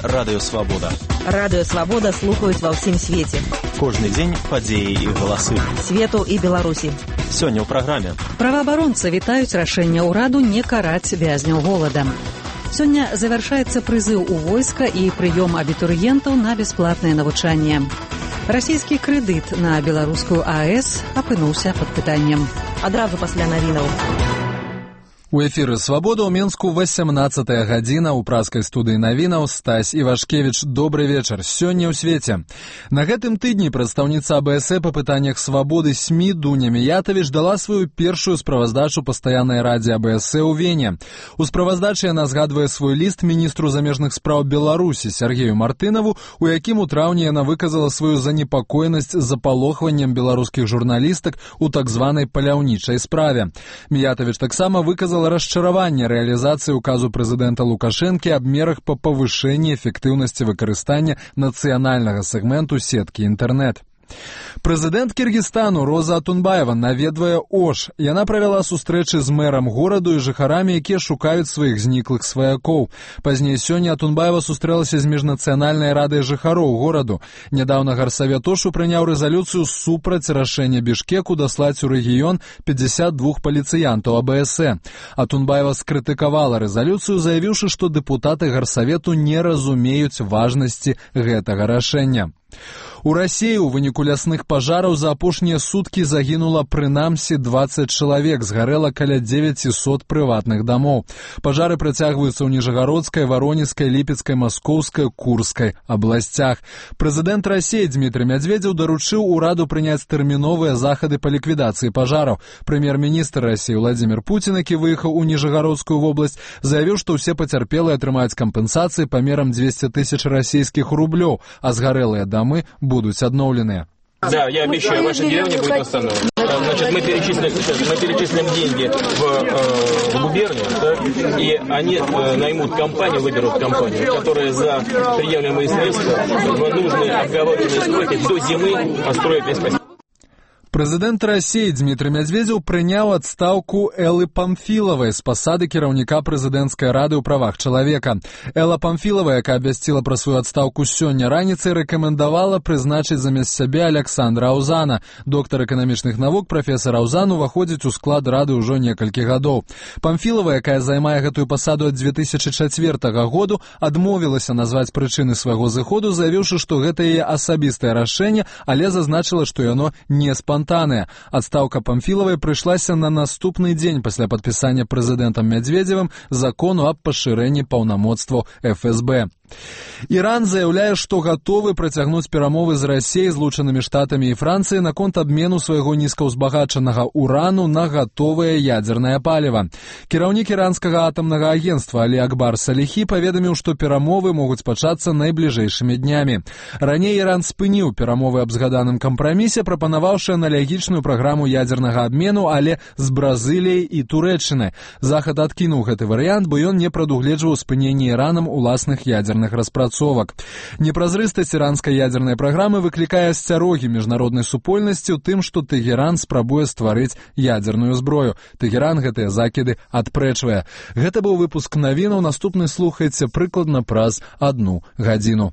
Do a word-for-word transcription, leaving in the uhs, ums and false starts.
Радыё Свабода. Радыё Свабода слухаюць ва ўсім свеце. Кожны дзень падзеі і галасы. Свету і Беларусі. Сёння ў праграме. Праваабаронцы вітаюць рашэнне ўраду не караць вязняў голадам. Сёння завяршаецца прызыў у войска і прыём абітурыентаў на бясплатнае навучанне. Расійскі крэдыт на беларускую АЭС апынуўся пад пытаннем. Адразу пасля навінаў. У эфіры «Свабода» ў Менску васямнаццатая гадзіна. У праскай студыі навінаў Стась Івашкевіч. Добры вечар. Сёння ў свеце. На гэтым тыдні прадстаўніца АБС па пытаннях свабоды СМІ Дуня Міятавіч дала сваю першую справаздачу пастаяннай радзе АБС ў Вене. У справаздачы яна згадвае свой ліст міністру замежных спраў Беларусі Сергею Мартынаву, у якім у траўні яна выказала сваю занепакоенасць запалохваннем беларускіх журналістак у так званай паляўнічай справе. Міятавіч таксама выказала расчараванне рэалізацыі указу прэзідэнта Лукашэнкі аб мерах па павышэнні эфектыўнасці выкарыстання нацыянальнага сегменту сеткі інтэрнэт. Прэзідэнт Кіргізстану Роза Атунбаева наведвае Ош. Яна правяла сустрэчы з мэрам гораду і жыхарамі, якія шукаюць сваіх зніклых сваякоў. Пазней сёння Атунбаева сустрэлася з міжнацыянальнай радай жыхароў гораду. Нядаўна гарсавет Ошу прыняў рэзалюцыю супраць рашэння Бішкеку даслаць у рэгіён пятьдесят два паліцыянтаў АБС. Атунбаева скрытыкавала рэзалюцыю, заявіўшы, што дэпутаты гарсавету не разумеюць важнасці гэтага рашэння. У Расіі ў выніку лясных пажараў за апошнія суткі загінула прынамсі дваццаць чалавек, згарэла каля дзевяцісот прыватных дамоў. Пажары працягваюцца ў Ніжагародскай, Варонежскай, Ліпецкай, Маскоўскай, Курскай абласцях. Прэзідэнт Расіі Дмітрый Мядзведзеў даручыў ураду прыняць тэрміновыя захады па ліквідацыі пажараў. Прэм'ер-міністр Расіі Владзімір Пуцін, які выехаў у Ніжагародскую вобласць, заявіў, што ўсе пацярпелыя атрымаюць кампенсацыі памерам дзвесце тысяч расійских рублёў, а згарэлыя дамы будут обновлены. Да, я обещаю, ваша деревня будет восстановлена. Значит, мы перечислим, мы перечислим деньги в, э, в губернию, да, и они э, наймут компанию, выберут компанию, которая за приемлемые средства в нужные обговоренные сроки до зимы построит весь поселок. Прэзідэнт Расіі Дмітрый Мядзведзеў прыняў адстаўку Эллы Памфілавай з пасады кіраўніка прэзідэнцкай рады ў правах чалавека. Элла Памфілава, якая абвясціла пра сваю адстаўку сёння раніцай, рэкамендавала прызначыць замест сябе Аляксандра Аўзана. Доктар эканамічных навук прафесар Аўзан уваходзіць у склад рады ўжо некалькі гадоў. Памфілава, якая займае гэтую пасаду ад дзве тысячы чацвёртага году, адмовілася назваць прычыны свайго зыходу, заявіўшы, што гэта яе асабістае рашэнне, але зазначыла, што яно не спантаннае. Адстаўка Памфілавай прыйшлася на наступны дзень пасля падпісання прэзідэнтам Мядзведзевым закону аб пашырэнні паўнамоцтваў эф эс бэ. Іран заяўляе, што гатовы працягнуць перамовы з Расіяй, Злучанымі Штатамі і Францыяй наконт абмену свайго нізкаўзбагачанага урану на гатовае ядзернае паліва. Кіраўнік іранскага атамнага агенцтва Алі Акбар Саліхі паведаміў, што перамовы могуць пачацца найбліжэйшымі днямі. Раней Іран спыніў перамовы аб згаданым кампрамісе, прапанаваўшы аналогічную праграму ядзернага абмену, але з Бразыліяй і Турэччынай. Захад адкінуў гэты варыянт, бо ён не прадугледжваў спыненне Іранам уласных ядзерных распрацовак. Непразрыстасць іранскай ядзернай праграмы выклікае асцярогі міжнароднай супольнасці ў тым, што Тэгеран спрабуе стварыць ядзерную зброю. Тэгеран гэтыя закіды адпрэчвае. Гэта быў выпуск навінаў. Наступны слухайце прыкладна праз адну гадзіну.